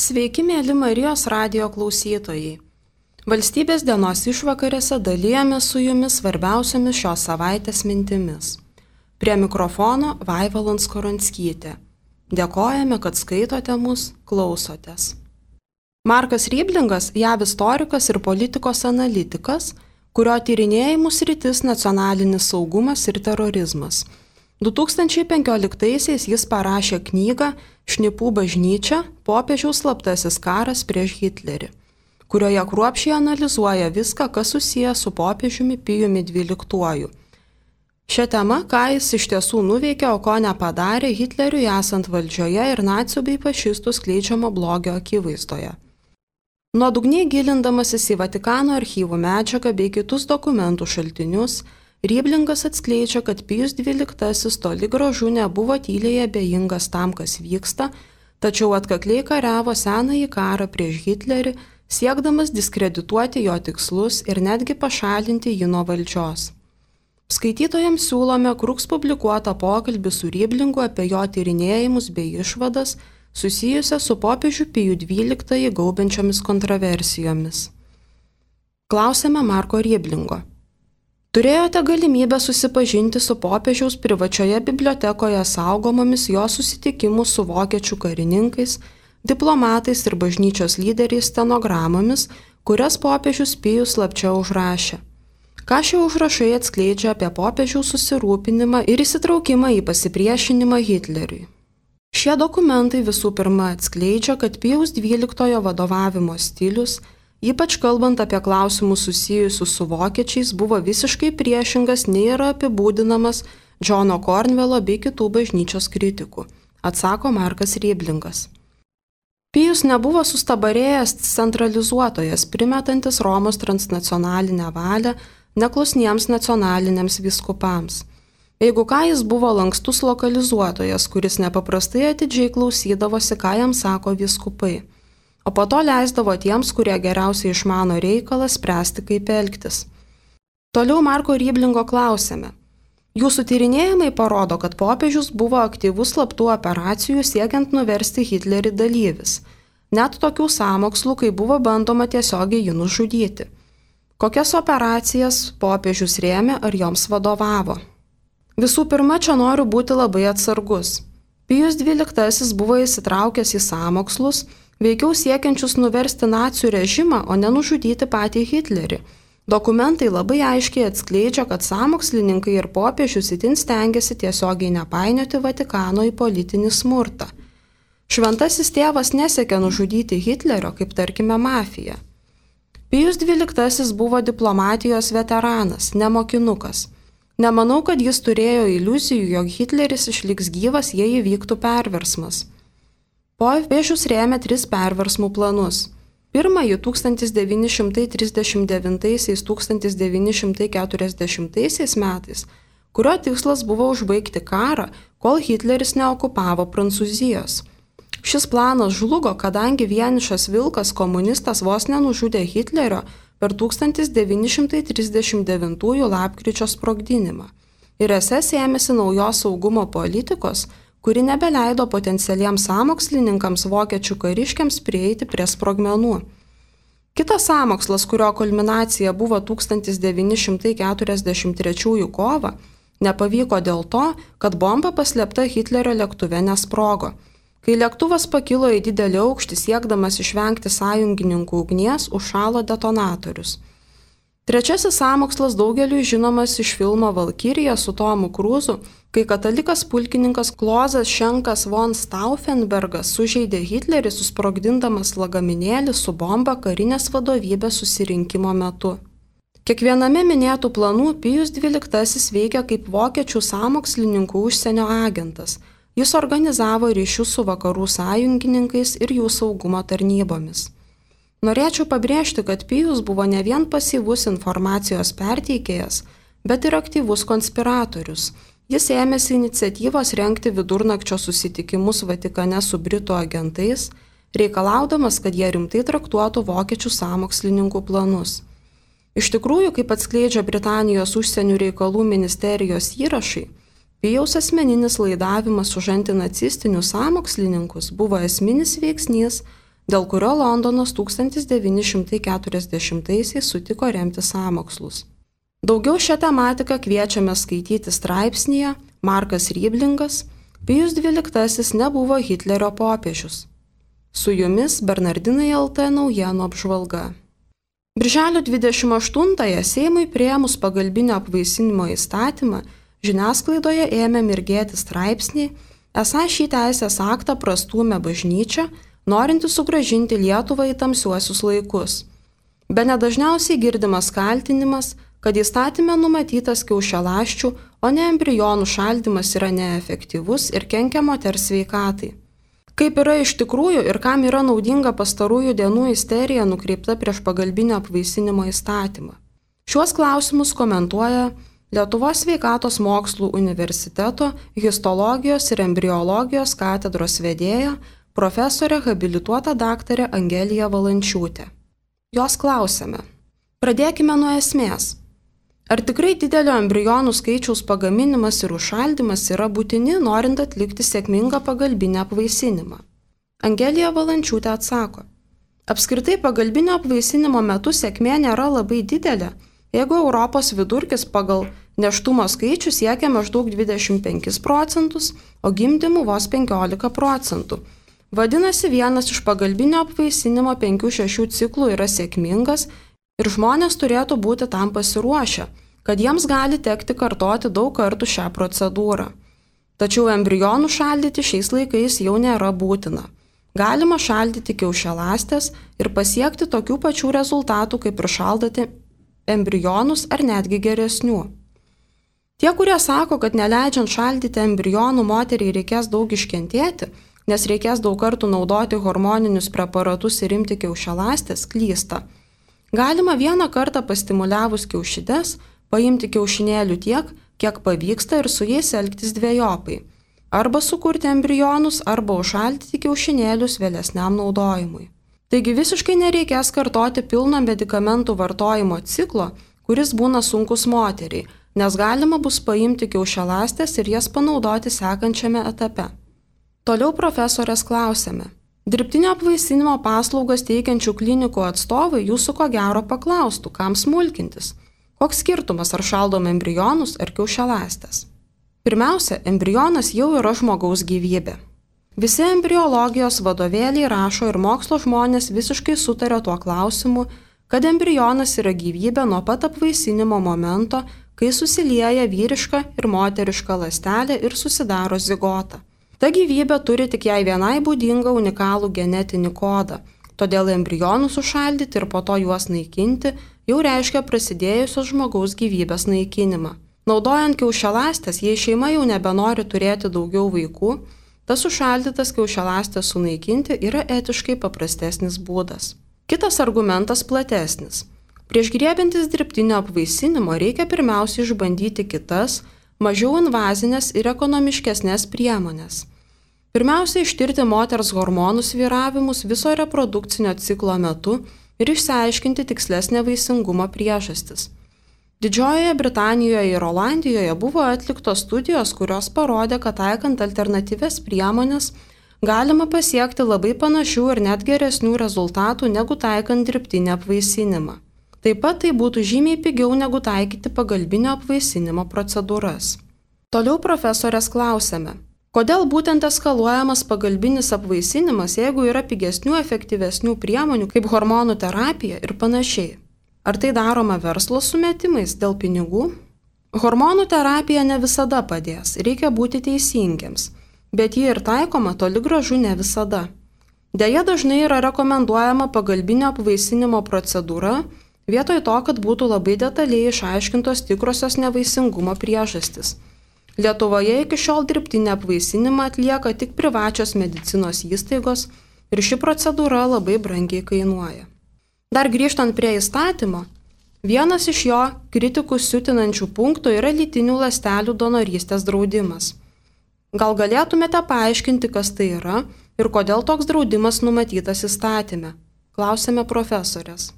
Sveiki, mėly Marijos radijo klausytojai. Valstybės dienos išvakarėse dalijame su jumis svarbiausiamis šios savaitės mintimis. Prie mikrofono Vaiva Lanskoranskytė. Dėkojame, kad skaitote mus, klausotės. Markas Ryblingas, JAV istorikas ir politikos analitikas, kurio tyrinėjimų sritis nacionalinis saugumas ir terorizmas. 2015-aisiais jis parašė knygą Šnipų bažnyčia – popiežiaus slaptasis karas prieš Hitlerį, kurioje kruopščiai analizuoja viską, kas susiję su popiežiumi Pijumi XII. Šią temą, ką jis iš tiesų nuveikė, o ko nepadarė Hitleriui esant valdžioje ir nacių bei fašistų skleidžiamo blogio akivaizdoje. Nuodugniai gilindamasis į Vatikano archyvų medžiagą bei kitus dokumentų šaltinius, Ryblingas atskleidžia, kad Pijus XII toli gražu nebuvo tyliai abejingas tam, kas vyksta, tačiau atkakliai kariavo senąjį karą prieš Hitlerį, siekdamas diskredituoti jo tikslus ir netgi pašalinti jį nuo valdžios. Skaitytojams siūlome Kruks publikuotą pokalbį su Ryblingu apie jo tyrinėjimus bei išvadas susijusią su popiežiu Pijų XII gaubiančiomis kontroversijomis. Klausėme Marko Ryblingo. Turėjote galimybę susipažinti su popiežiaus privačioje bibliotekoje saugomomis jo susitikimų su vokiečių karininkais, diplomatais ir bažnyčios lyderiais stenogramomis, kurias popiežius Pijus slapčia užrašė. Ką šie užrašai atskleidžia apie popiežiaus susirūpinimą ir įsitraukimą į pasipriešinimą Hitleriui? Šie dokumentai visų pirma atskleidžia, kad Pijaus XII vadovavimo stilius, ypač kalbant apie klausimus susijusius su vokiečiais, buvo visiškai priešingas nei yra apibūdinamas Džono Kornvelo bei kitų bažnyčios kritikų, atsako Markas Ryblingas. Pijus nebuvo sustabarėjęs centralizuotojas, primetantis Romos transnacionalinę valią neklusniems nacionaliniams vyskupams. Jeigu ką, jis buvo lankstus lokalizuotojas, kuris nepaprastai atidžiai klausydavosi, ką jam sako vyskupai, o po to leisdavo tiems, kurie geriausiai išmano reikalą, spręsti, kaip elgtis. Toliau Marko Ryblingo klausėme. Jūsų tyrinėjimai parodo, kad popiežius buvo aktyvus slaptų operacijų siekiant nuversti Hitlerį dalyvis, net tokių sąmokslų, kai buvo bandoma tiesiogiai jį nužudyti. Kokias operacijas popiežius rėmė ar joms vadovavo? Visų pirma, čia noriu būti labai atsargus. Pijus XII buvo įsitraukęs į sąmokslus, veikiau siekiančius nuversti nacių režimą, o ne nužudyti patį Hitlerį. Dokumentai labai aiškiai atskleidžia, kad sąmokslininkai ir popiežius itin stengiasi tiesiogiai nepainioti Vatikano į politinį smurtą. Šventasis tėvas nesiekė nužudyti Hitlerio, kaip tarkime mafija. Pijus XII buvo diplomatijos veteranas, ne mokinukas. Nemanau, kad jis turėjo iliuzijų, jog Hitleris išliks gyvas, jei įvyktų perversmas. Popiežius rėmė 3 perversmų planus. Pirmąjį 1939–1940 metais, kurio tikslas buvo užbaigti karą, kol Hitleris neokupavo Prancūzijos. Šis planas žlugo, kadangi vienišas vilkas komunistas vos nenužudė Hitlerio per 1939 lapkričio sprogdinimą. Ir SS ėmėsi naujos saugumo politikos, kuri nebeleido potencialiems sąmokslininkams vokiečių kariškiams prieiti prie sprogmenų. Kitas sąmokslas, kurio kulminacija buvo 1943 kovą, nepavyko dėl to, kad bomba paslėpta Hitlerio lėktuve nesprogo. Kai lėktuvas pakilo į didelį aukštį siekdamas išvengti sąjungininkų ugnies, užšalo detonatorius. Trečiasis sąmokslas daugeliui žinomas iš filmo Valkyrija su Tomu Kruzu, kai katalikas pulkininkas Klozas Šenkas von Stauffenbergas sužeidė Hitlerį susprogdindamas lagaminėlį su bomba karinės vadovybės susirinkimo metu. Kiekviename minėtų planų Pijus XII veikė kaip vokiečių sąmokslininkų užsienio agentas. Jis organizavo ryšius su vakarų sąjungininkais ir jų saugumo tarnybomis. Norėčiau pabrėžti, kad Pijus buvo ne vien pasyvus informacijos perteikėjas, bet ir aktyvus konspiratorius. Jis ėmėsi iniciatyvos rengti vidurnakčio susitikimus Vatikane su britų agentais, reikalaudamas, kad jie rimtai traktuotų vokiečių sąmokslininkų planus. Iš tikrųjų, kaip atskleidžia Britanijos užsienio reikalų ministerijos įrašai, Pijaus asmeninis laidavimas už antinacistinius sąmokslininkus buvo esminis veiksnys, dėl kurio Londonas 1940-aisiais sutiko remti sąmokslus. Daugiau šią tematiką kviečiame skaityti straipsnyje Markas Ryblingas Pijus XII nebuvo Hitlerio popiežius. Su jumis Bernardinai LT naujienų apžvalga. Birželio 28-ąją Seimui priėmus pagalbinio apvaisinimo įstatymą, žiniasklaidoje ėmė mirgėti straipsniai, esą šį teisės aktą prastūmė bažnyčia, norinti sugrąžinti Lietuvą į tamsiuosius laikus. Bene dažniausiai girdimas kaltinimas, kad įstatyme numatytas kiaušialąsčių, o ne embrionų šaldymas yra neefektyvus ir kenkia moters sveikatai. Kaip yra iš tikrųjų ir kam yra naudinga pastarųjų dienų isterija nukreipta prieš pagalbinio apvaisinimo įstatymą? Šiuos klausimus komentuoja Lietuvos sveikatos mokslų universiteto histologijos ir embriologijos katedros vedėja, profesorė habilituota daktarė Angelija Valančiūtė. Jos klausėme. Pradėkime nuo esmės. Ar tikrai didelio embrionų skaičiaus pagaminimas ir užšaldymas yra būtini, norint atlikti sėkmingą pagalbinę apvaisinimą? Angelija Valančiūtė atsako. Apskritai pagalbinio apvaisinimo metu sėkmė nėra labai didelė, jeigu Europos vidurkis pagal nėštumo skaičių siekia maždaug 25%, o gimdymų vos 15%. Vadinasi, vienas iš pagalbinio apvaisinimo 5-6 ciklų yra sėkmingas ir žmonės turėtų būti tam pasiruošę, kad jiems gali tekti kartoti daug kartų šią procedūrą. Tačiau embrionų šaldyti šiais laikais jau nėra būtina. Galima šaldyti kiaušialąstes ir pasiekti tokių pačių rezultatų, kaip ir šaldyti embrionus ar netgi geresnių. Tie, kurie sako, kad neleidžiant šaldyti embrionų moteriai reikės daug iškentėti, nes reikės daug kartų naudoti hormoninius preparatus ir imti kiaušialąstes, klysta. Galima vieną kartą pastimuliavus kiaušides, paimti kiaušinėlių tiek, kiek pavyksta ir su jais elgtis dvejopai. Arba sukurti embrionus, arba užšaldyti kiaušinėlius vėlesniam naudojimui. Taigi visiškai nereikės kartoti pilno medikamentų vartojimo ciklo, kuris būna sunkus moteriai, nes galima bus paimti kiaušialąstes ir jas panaudoti sekančiame etape. Toliau profesorės klausėme. Dirbtinio apvaisinimo paslaugas teikiančių klinikų atstovai jūsų ko gero paklaustų, kam smulkintis. Koks skirtumas, ar šaldom embrionus ar kiaušialąstes? Pirmiausia, embrionas jau yra žmogaus gyvybė. Visi embriologijos vadovėliai rašo ir mokslo žmonės visiškai sutarė tuo klausimu, kad embrionas yra gyvybė nuo pat apvaisinimo momento, kai susilieja vyriška ir moteriška ląstelė ir susidaro zigota. Ta gyvybė turi tik jai vienai būdingą unikalų genetinį kodą, todėl embrionus užšaldyti ir po to juos naikinti jau reiškia prasidėjusios žmogaus gyvybės naikinimą. Naudojant kiaušialąstes, jei šeima jau nebenori turėti daugiau vaikų, tas užšaldytas kiaušialąstes sunaikinti yra etiškai paprastesnis būdas. Kitas argumentas platesnis. Prieš griebiantis dirbtinio apvaisinimo reikia pirmiausiai išbandyti kitas, mažiau invazinės ir ekonomiškesnės priemonės. Pirmiausia, ištirti moters hormonų svyravimus viso reprodukcinio ciklo metu ir išsiaiškinti tikslesnę vaisingumo priežastis. Didžiojoje Britanijoje ir Olandijoje buvo atliktos studijos, kurios parodė, kad taikant alternatyvias priemonės galima pasiekti labai panašių ir net geresnių rezultatų negu taikant dirbtinį apvaisinimą. Taip pat tai būtų žymiai pigiau negu taikyti pagalbinio apvaisinimo procedūras. Toliau profesorės klausėme, kodėl būtent eskaluojamas pagalbinis apvaisinimas, jeigu yra pigesnių, efektyvesnių priemonių kaip hormonų terapija ir panašiai. Ar tai daroma verslo sumetimais dėl pinigų? Hormonų terapija ne visada padės, reikia būti teisingiems, bet ji ir taikoma toli gražu ne visada. Deja, dažnai yra rekomenduojama pagalbinio apvaisinimo procedūra, vietoj to, kad būtų labai detaliai išaiškintos tikrosios nevaisingumo priežastis. Lietuvoje iki šiol dirbtinį apvaisinimą atlieka tik privačios medicinos įstaigos ir ši procedūra labai brangiai kainuoja. Dar grįžtant prie įstatymo, vienas iš jo kritikus siutinančių punktų yra lytinių ląstelių donorystės draudimas. Gal galėtumėte paaiškinti, kas tai yra ir kodėl toks draudimas numatytas įstatyme? Klausėme profesorės.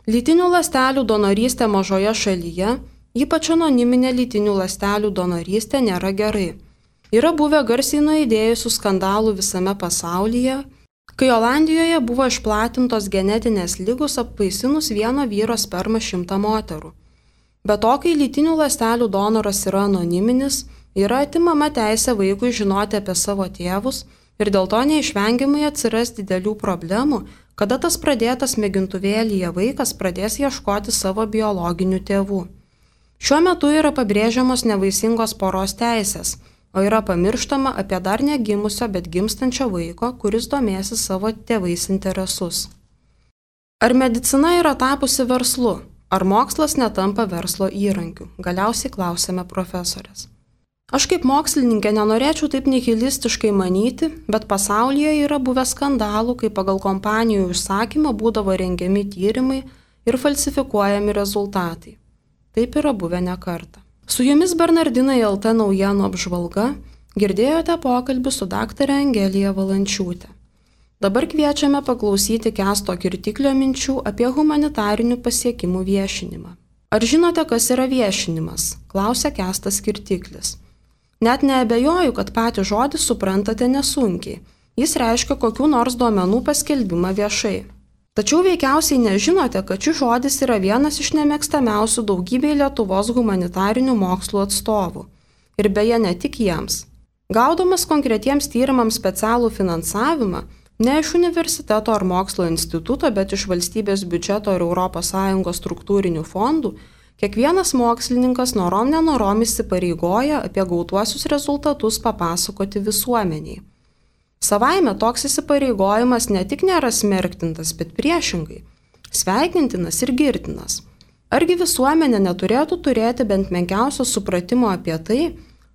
Lytinių ląstelių donorystė mažoje šalyje, ypač anoniminė lytinių ląstelių donorystė, nėra gerai. Yra buvę garsiai nuaidėjusių skandalų visame pasaulyje, kai Olandijoje buvo išplatintos genetinės ligos apvaisinus vieno vyro spermą 100 moterų. Be to, kai lytinių ląstelių donoras yra anoniminis, yra atimama teisė vaikui žinoti apie savo tėvus ir dėl to neišvengiamai atsiras didelių problemų, kada tas pradėtas mėgintuvėlyje vaikas pradės ieškoti savo biologinių tėvų. Šiuo metu yra pabrėžiamos nevaisingos poros teisės, o yra pamirštama apie dar negimusio, bet gimstančio vaiko, kuris domėsi savo tėvais interesus. Ar medicina yra tapusi verslu? Ar mokslas netampa verslo įrankiu? Galiausiai klausėme profesorės. Aš kaip mokslininkė nenorėčiau taip nihilistiškai manyti, bet pasaulyje yra buvę skandalų, kai pagal kompanijų užsakymą būdavo rengiami tyrimai ir falsifikuojami rezultatai. Taip yra buvę ne kartą. Su jumis Bernardinai LT naujienų apžvalga, girdėjote pokalbį su daktare Angelija Valančiūtė. Dabar kviečiame paklausyti Kęsto Kirtiklio minčių apie humanitarinių pasiekimų viešinimą. Ar žinote, kas yra viešinimas? Klausė Kęstas Kirtiklis. Net neabejoju, kad patį žodį suprantate nesunkiai. Jis reiškia kokių nors duomenų paskelbimą viešai. Tačiau veikiausiai nežinote, kad šis žodis yra vienas iš nemėgstamiausių daugybei Lietuvos humanitarinių mokslų atstovų. Ir beje, ne tik jiems. Gaudamas konkretiems tyrimams specialų finansavimą, ne iš universiteto ar mokslo instituto, bet iš valstybės biudžeto ir ES struktūrinių fondų, kiekvienas mokslininkas norom nenorom įsipareigoja apie gautuosius rezultatus papasakoti visuomeniai. Savaime toks įsipareigojimas ne tik nėra smerktintas, bet priešingai – sveikintinas ir girtinas. Argi visuomenė neturėtų turėti bent menkiausio supratimo apie tai,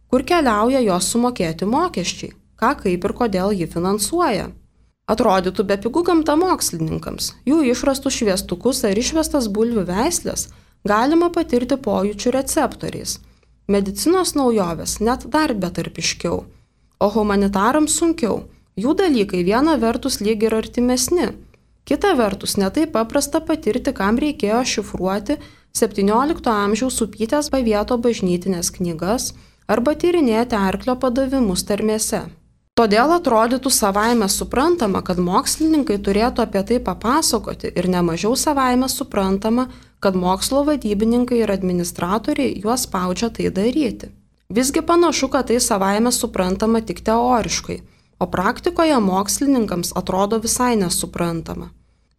kur keliauja jos sumokėti mokesčiai, ką, kaip ir kodėl ji finansuoja? Atrodytų bepigu gamta mokslininkams, jų išrastus šviestukus ar išvestas bulvių veislės galima patirti pojūčių receptoriais. Medicinos naujovės net dar betarpiškiau, o humanitarams sunkiau. Jų dalykai viena vertus lyg ir artimesni, kita vertus netaip paprasta patirti, kam reikėjo šifruoti 17 amžiaus Upytės Pavieto bažnytinės knygas arba tyrinėti arklio padavimus tarmėse. Todėl atrodytų savaime suprantama, kad mokslininkai turėtų apie tai papasakoti ir nemažiau savaime suprantama, kad mokslo vadybininkai ir administratoriai juos spaudžia tai daryti. Visgi panašu, kad tai savaime suprantama tik teoriškai, o praktikoje mokslininkams atrodo visai nesuprantama.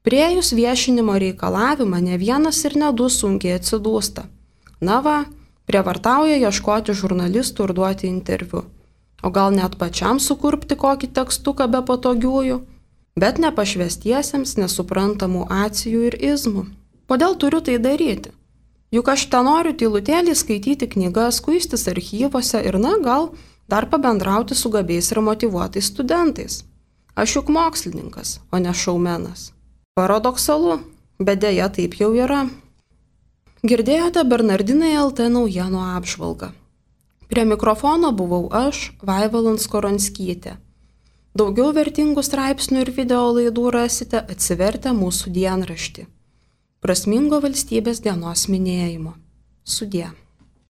Priėjus viešinimo reikalavimą ne vienas ir ne du sunkiai atsidūsta. Na va, prievartauja ieškoti žurnalistų ir duoti interviu. O gal net pačiam sukurpti kokį tekstuką be patogiųjų, bet nepašvestiesiems nesuprantamų acijų ir izmų. Kodėl turiu tai daryti? Juk aš ten noriu tylutėlį skaityti knygas, kuistis archyvose ir gal dar pabendrauti su gabiais ir motyvuotais studentais. Aš juk mokslininkas, o ne šaumenas. Paradoksalu, bet deja taip jau yra. Girdėjote Bernardinai LT naujienų apžvalgą. Prie mikrofono buvau aš, Vaiva Landskoronskytė. Daugiau vertingų straipsnių ir video laidų rasite atsivertę mūsų dienraštį. Prasmingo valstybės dienos minėjimo. Sudie.